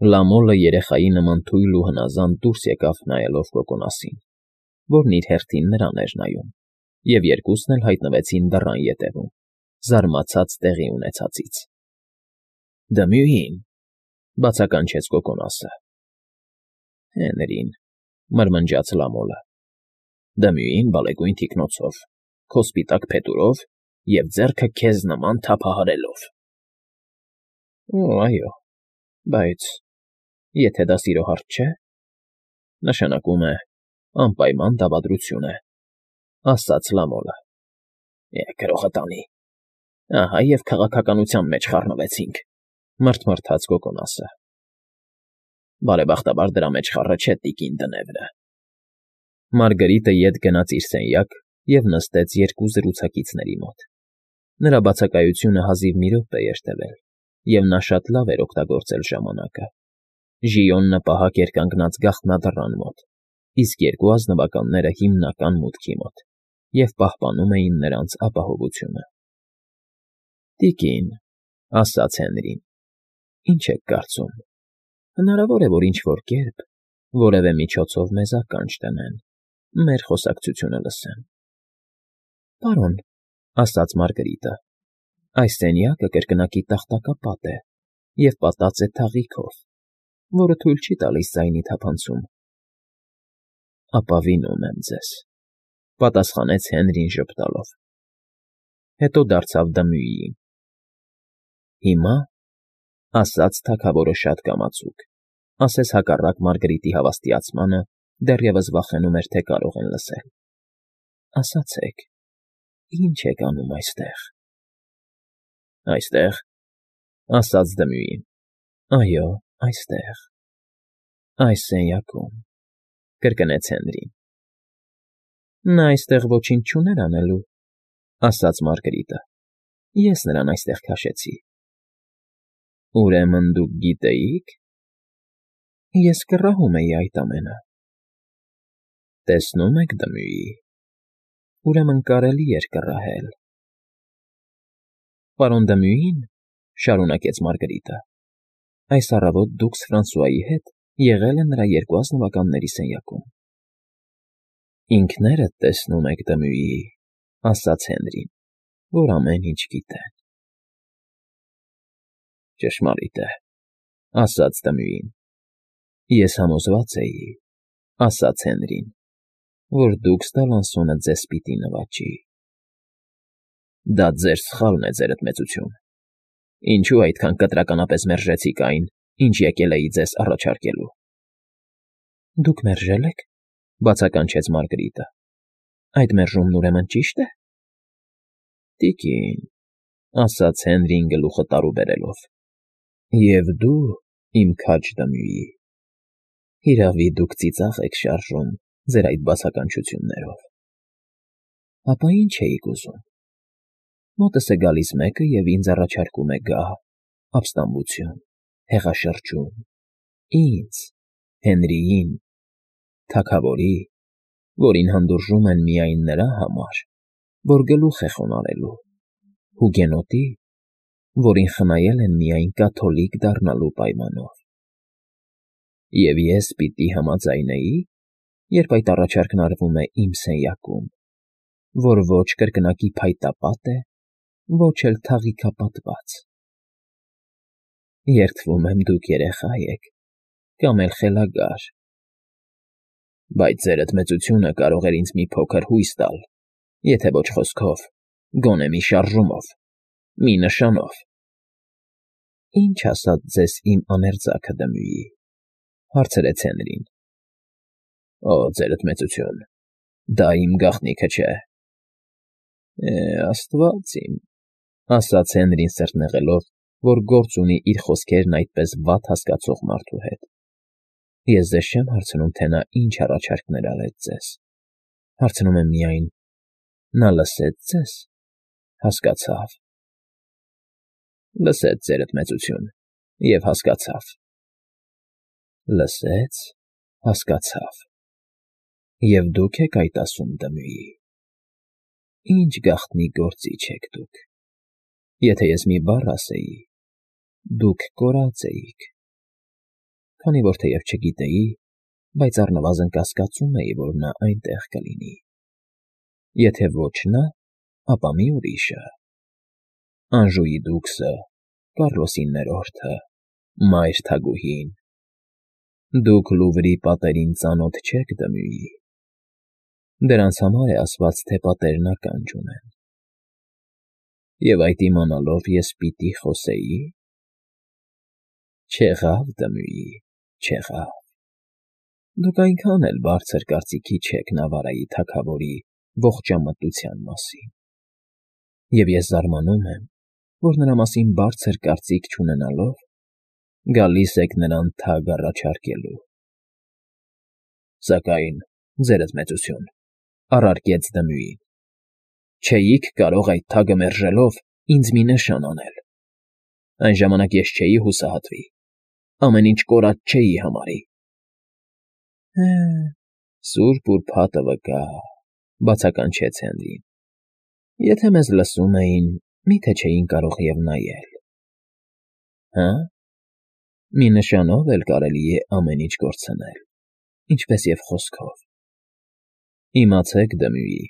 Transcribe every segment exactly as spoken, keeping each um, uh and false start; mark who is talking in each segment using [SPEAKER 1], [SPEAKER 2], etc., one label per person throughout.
[SPEAKER 1] Լամոլը երեխայի նման թույլ ու հնազանդ դուրս եկավ նայելով Կոկոնասին, որն իր հերթին նրան էր նայում, և երկուսն էլ հայտնվեցին դռան ետևում, զարմացած տեղի ունեցածից։ ֊ Դմյուին,֊ բացականչեց Կոկոնասը։ ֊ Հենրին,֊ մրմնջաց Լամոլը,֊ Դմյուին բալեգույն թիկնոցով, քո սպիտակ փետուրով և ձեռքը քեզ նման թափահարելով։ ֊ Օ, այո, բայց եթե դա սիրո հարց չէ, նշանակում է անպայման դավադրություն է,֊ ասաց Լամոլը։ ֊ Գրողը տանի, ահա և քաղաքականության մեջ խառնվեցինք,֊ մռթմռթաց Կոկոնասը։ ֊ Բարեբախտաբար դրա մեջխառը չէ տիկին Դնևրը։ Մարգրիտը ետ գնաց իր սենյակ և նստեց երկու զրուցակիցների մոտ։ Նրա բացակայությունը հազիվ մի րոպե էր տևել, և նա շատ լավ էր օգտագործել ժամանակը։ Ժիոնը պահակ էր կանգնած գաղտնադռան մոտ, իսկ երկու ազնվականները հիմնական մուտքի մոտ և պահպանում էին նրանց ապահովությունը։ ֊ Տիկին,֊ ասաց Հենրին,֊ ինչ եք կարծում, հնարավո՞ր է, որ ինչ֊որ կերպ, որևէ միջոցով մեզ ականջ դնեն, մեր խոսակցությունը լսեն։ ֊ Պարոն,֊ ասաց Մարգրիտը,֊ այս սենյակը կրկնակի տախտակապատ է և պատած է թաղիքով, որը թույլ չի տալիս ձայնի թափանցում։ ֊ Ապավինում եմ ձեզ,֊ պատասխանեց Հենրին ժպտալով։ Հետո դարձավ Դմյուիին։ ֊ Հիմա,֊ ասաց թագավորը շատ կամացուկ, ասես հակառակ Մարգրիտի հավաստիացմանը դեռևս վախենում էր, թե կարող են լսել,֊ ասացեք, ի՞նչ եք անում այստեղ։ ֊ Այստե՞ղ,֊ ասաց Դմյուին։ ֊ Այո, այստեղ, այս սենյակում,֊ կրկնեց Հենրին։ ֊ Նա այստեղ ոչինչ չուներ անելու,֊ ասաց Մարգրիտը,֊ ես նրան այստեղ քաշեցի։ ֊ Ուրեմն դուք գիտեի՞ք։ ֊ Ես կռահում էի այդ ամենը։ ֊ Տեսնում եք, Դմյուի, ուրեմն կարելի էր կռահել։ ֊ Պարոն Դմյուին,֊ շարունակեց Մարգրիտը,֊ այս առավոտ դուք Սֆրանսուայի հետ եղել են նրա երկու ազնվականների սենյակում։ ֊ Ինքներդ տեսնում եք, Դմյուի,֊ ասաց Հենրին,֊ որ ամեն ինչ գիտեն։ ֊ Ճշմարիտ է,֊ ասաց Դմյուին։ ֊ Ես համոզված էի,֊ ասաց Հենրին,֊ որ դուք ստալանսոնը ձեզ պիտի նվաճի։ ֊ Դա ձեր սխալն է, ձերդ մեծություն. ինչո՞ւ այդքան կտրականապես մերժեցիք այն, ինչ եկել էի ձեզ առաջարկելու։ ֊ Դուք մերժել եք,֊ բացականչեց Մարգրիտը,֊ այդ մերժումն ուրեմն ճի՞շտ է։ ֊ Տիկին,֊ ասաց Հենրին գլուխը տարուբերելով,֊ և դու, իմ քաջ Դմյուի, հիրավի, դուք ծիծաղ եք շարժում ձեր այդ բացականչություններով։ Ապա ի՞նչ էիք ուզում։ Մոտս է գալիս մեկը և ինձ առաջարկում է գահ, ապստամբություն, հեղաշրջում, ինձ, Հենրիին, թագավորի, որին հանդուրժում են միայն նրա համար, որ գլուխ է խոնարհելու, հուգենոտի, որին խնայել են միայն կաթոլիկ դառնալու պայմանով։ Եվ ես պիտի համաձայնեի, երբ այդ առաջարկն արվում է իմ սենյակում, որ ոչ կրկնակի փայտապատ է, ոչ էլ թաղիքապատված։ Երդվում եմ, դուք երեխա եք կամ էլ խելագար, բայց ձերդ մեծությունը կարող էր ինձ մի փոքր հույս տալ, եթե ոչ խոսքով, գոնե մի շարժումով, մի նշանով։ ֊ Ի՞նչ ասաց ձեզ իմ աներձակը, Դմյուի,֊ հարցրեց Հենրին։ ֊ Օ, ձերդ մեծություն, դա իմ գաղտնիքը չէ։ ֊ Է, աստված իմ,֊ ասաց Հենրին սրտնեղելով, որ գործ ունի իր խոսքերն այդպես վատ հասկացող մարդու հետ,֊ ես ձեզ չեմ հարցնում, թե նա ինչ առաջարկներ արեց ձեզ, հարցնում եմ միայն. նա լսե՞ց ձեզ, հասկացա՞վ։ ֊ Լսեց, ձերդ մեծություն, և հասկացավ։ ֊ Լսեց, հասկացավ։ Եվ դուք եք այդ ասում, Դմյուի։ Ինչ գաղտնի գործիչ եք դուք։ Եթե ես մի բառ ասեի, դուք կորած էիք։ քանի որ թեև չգիտեի, բայց առնվազն կասկածում էի, որ նա այնտեղ կլինի։ Եթե ոչ նա, ապա մի ուրիշը։ Անժուի դուքսը, Կառլոսի ներորդը, մայր թագուհին։ Դուք Լուվրի պատերին ծանոթ չեք, Դմյուի։ Դրանց համար է ասված, թե պատերն ականջ ունեն։ Եվ այդ իմանալով ես պիտի խոսեի՞։ Չեղավ, Դմյուի, չեղավ։ Դուք այնքան էլ բարձր կարծիքի չեք Նավարայի թագավորի ողջամտության մասին։ Եվ ես զարմանում եմ, որ նրա մասին բարձր կարծիք չունենալով, գալիս եք նրան թագ առաջարկելու։ Սակայն, ձերդ մեծություն, առարկեց Դմյուին, չէիք կարող այդ թագը մերժելով ինձ մի նշան անել։ Այն ժամանակ ես չէի հուսահատվի, ամեն ինչ կորած չէի համարի։ Հը, սուրբ ուրբաթը վկա, բացականչեց Հենրին։ Եթե մեզ լսում էին, մի՞թե չէին կարող և նայել։ Հա՞, մի նշանով էլ կարելի է ամեն ինչ կորցնել, ինչպես և խոսքով։ Իմացեք, Դմյուի,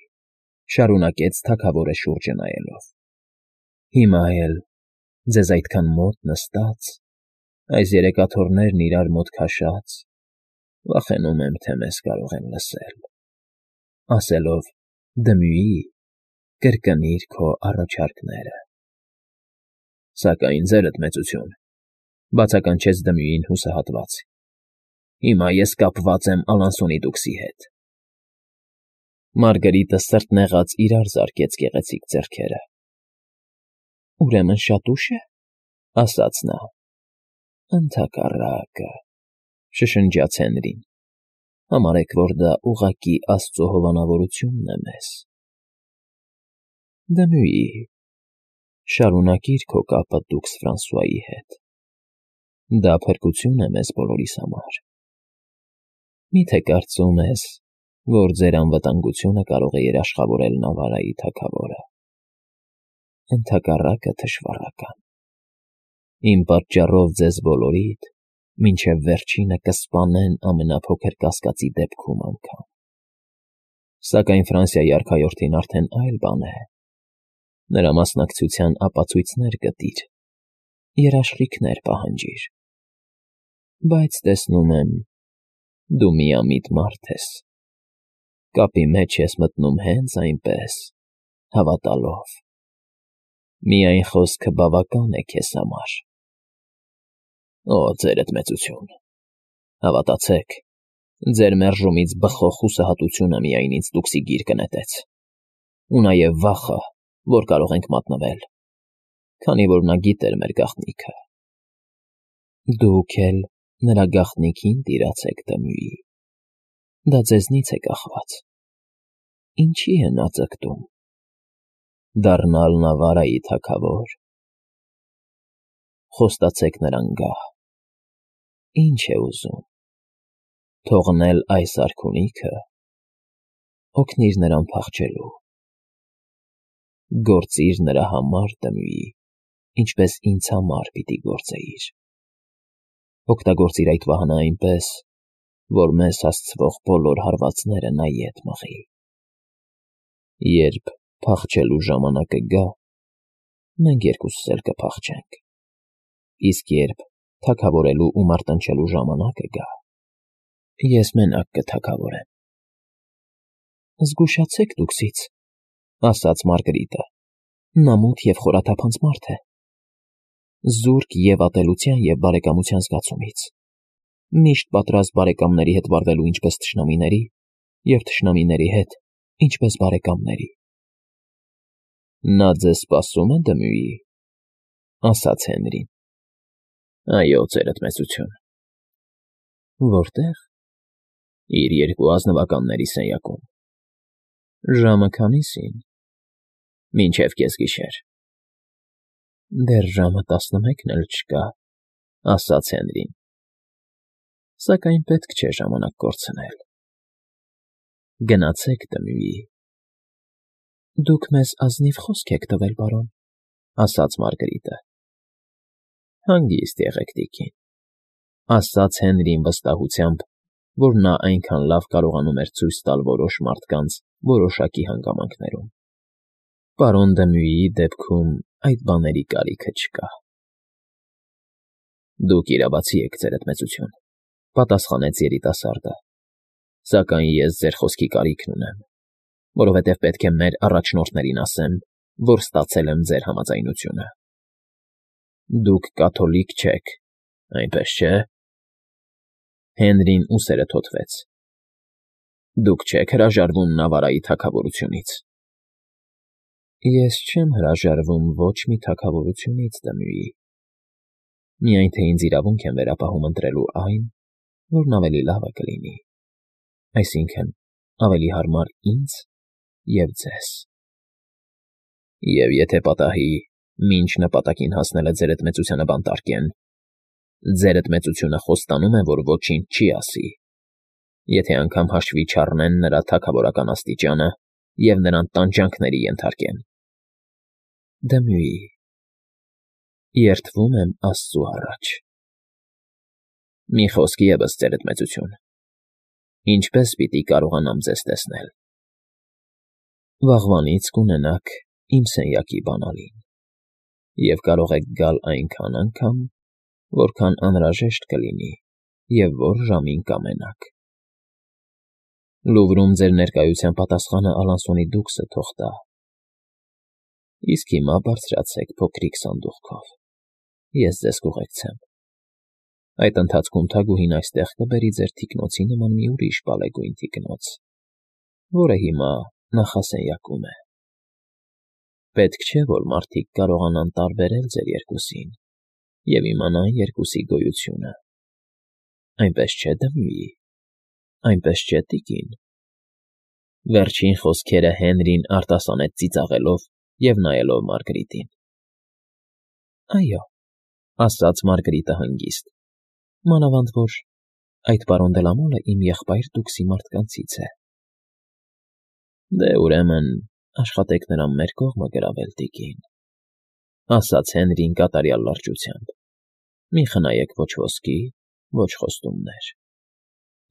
[SPEAKER 1] շարունակեց թագավորը շուրջը նայելով, հիմա էլ, ձեզ այդքան մոտ նստած, այս երեք աթոռներն իրար մոտ քաշած, վախենում եմ, թե մեզ կարող են լսել, ասելով. Դմյուի, կրկնիր քո առաջարկները։ Սակայն, ձերդ մեծություն, բացականչեց Դմյուին հուսահատված, հիմա ես կապված եմ Ալանսոնի դուքսի հետ։ Մարգարիտը սրտնեղած իրար զարկեց գեղեցիկ ձեռքերը։ Ուրեմն շատ ուշ է, ասաց նա։ Ընդհակառակը, շշնջաց Հենրին, համարեք, որ դա ուղղակի Աստծո հովանավորությունն է մեզ։ Դմյուի, շարունակիր քո կապը դուքս Ֆրանսուայի հետ։ Դա փրկություն է մեզ բոլորիս համար։ Մի՞թե կարծում ես, որ ձեր անվտանգությունը կարող է երաշխավորել Նավարայի թագավորը։ Ընդհակառակը, թշվառական։ Իմ պատճառով ձեզ բոլորիդ մինչև վերջինը կսպանեն ամենափոքր կասկածի դեպքում անգամ։ Սակայն Ֆրանսիայի արքայորդին արդեն այլ բան է։ Նրա մասնակցության ապացույցներ կտիր, երաշխիքներ պահանջիր։ Բայց տեսնում եմ, դու միամիտ մարդ ես, կապի մեջ ես մտնում հենց այնպես, հավատալով։ Միայն խոսքը բավական է քեզ համար։ Օ, ձերդ մեծություն, հավատացեք, ձեր մերժումից բխող հուսահատությունը միայն ինձ դուքսի գիրկը նետեց, ու նաև վախը, որ կարող ենք մատնվել, քանի որ նա գիտեր մեր գաղտնիքը։ Դուք էլ նրա գաղտնիքին տիրացեք, Դմյուի, դա ձեզնից է կախված։ Ինչի է նա ձգտում։ Դառնալ Նավարայի թագավոր։ Խոստացեք նրան գահ։ Ինչ է ուզում։ Թողնել այս արքունիքը, օգնիր նրան փախչելու։ Գործիր նրա համար, Դմյուի, ինչպես ինձ համար պիտի գործեիր։ Օգտագործիր այդ վահանը այնպես, որ մեզ հասցվող բոլոր հարվածները նա ետ մղի։ Երբ փախչելու ժամանակը գա, մենք երկուսս էլ կփախչենք, իսկ երբ թագավորելու ու մարտնչելու ժամանակը գա, ես մենակ կթագավորեմ։ Զգուշացեք դուքսից, ասաց Մարգարիտը, նա մութ և խորաթափանց մարդ է, զուրկ և ատելության և բարեկամության զգացումից, միշտ պատրաստ բարեկամների հետ վարվելու ինչպես թշնամիների և թշնամիների հետ ինչպես բարեկամների։ Նա ձեզ սպասում է, Դմյուի, ասաց Հենրին։ Այո, ձերդ մեծություն։ Որտե՞ղ։ Իր երկու ազնվականների սենյակում։ Ժամը քանի՞սին։ Մինչև կեսգիշեր։ Դեռ ժամը տասնմեկն էլ չկա, ասաց Հենրին։ Սակայն պետք չէ ժամանակ կորցնել։ Գնացեք, Դմյուի։ Դուք մեզ ազնիվ խոսք եք տվել, պարոն, ասաց Մարգարիտը։ Հանգիստ եղեք, տիկին։ Ասաց Հենրին վստահությամբ, որ նա այնքան լավ կարողանում էր ցույց տալ որոշ մարդկանց որոշակի հանգամանքներում։ Պարոն Դմյուի դեպքում այդ բաների կարիքը չկա։ Դուք իրավացի եք, ձերդ մեծություն, պատասխանեց երիտասարդը, սակայն ես ձեր խոսքի կարիքն ունեմ, որովհետև պետք է մեր առաջնորդներին ասեմ, որ ստացել եմ ձեր համաձայնությունը։ Դուք կաթոլիկ չեք, այնպես չէ՞։ Հենրին ուսերը թոթվեց։ Դուք չեք հրաժարվում Նավարայի թագավորությունից։ Ես չեմ հրաժարվում ոչ մի թագավորությունից, Դմյուի, միայն թե ինձ իրավունք են վերապահում ընտրելու այն, որն ավելի լավը կլինի, այսինքն՝ ավելի հարմար ինձ և ձեզ։ Եվ եթե պատահի, մինչ նպատակին հասնելը ձերդ մեծությանը բանտարկեն, ձերդ մեծությունը խոստանում է, որ ոչինչ չի ասի, եթե անգամ հաշվի չառնեն նրա թագավորական աստիճանը և նրան տանջանքների ենթարկեն։ Դմյուի, երդվում եմ Աստծու առաջ։ Մի խոսք ևս, ձերդ մեծություն, ինչպե՞ս պիտի կարողանամ ձեզ տեսնել։ Վաղվանից կունենաք իմ սենյակի բանալին, և կարող եք գալ այնքան անգամ, որքան անհրաժեշտ կլինի և որ ժամին կամենաք։ Լուվրում ձեր ներկայության պատասխանը Ալանսոնի դուքսը թող տա։ Իսկ հիմա բարձրացեք փոքրիկ սանդուղքով, ես ձեզ կուղեկցեմ։ Այդ ընթացքում թագուհին այստեղ կբերի ձեր թիկնոցի նման մի ուրիշ պալեգույն թիկնոց, որը հիմա նախասենյակում է։ Պետք չէ, որ մարդիկ կարողանան տարբերել ձեր երկուսին և իմանան երկուսի գոյությունը։ Այնպես չէ, Դմյուի, այնպես չէ, տիկին։ Վերջին խոսքերը Հենրին արտասանեց ծիծաղելով և նայելով Մարգրիտին։ Այո, ասաց Մարգրիտը հանգիստ, մանավանդ որ այդ պարոն Դելամոլը իմ եղբայր դուքսի մարդկանցից է։ Դե, ուրեմն, աշխատեք նրան մեր կողմը գրավել, տիկին, ասաց Հենրին կատարյալ լրջությամբ։ Մի խնայեք ոչ ոսկի, ոչ խոստումներ։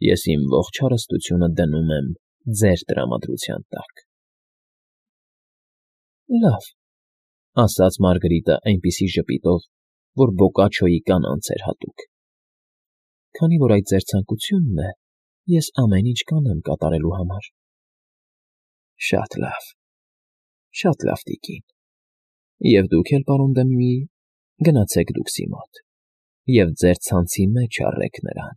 [SPEAKER 1] Ես իմ ողջ հարստությունը դնում եմ ձեր տրամադրության տակ։ Լավ, ասաց Մարգրիտը այնպիսի ժպիտով, որ Բոկաչոյի կանանց էր հատուկ։ Քանի որ այդ ձեր ցանկությունն է, ես ամեն ինչ կանեմ կատարելու համար։ Շատ լավ, շատ լավ, տիկին։ Եվ դուք էլ, պարոն Դմյուի, գնացեք դուքսի մոտ և ձեր ցանցի մեջ առեք նրան։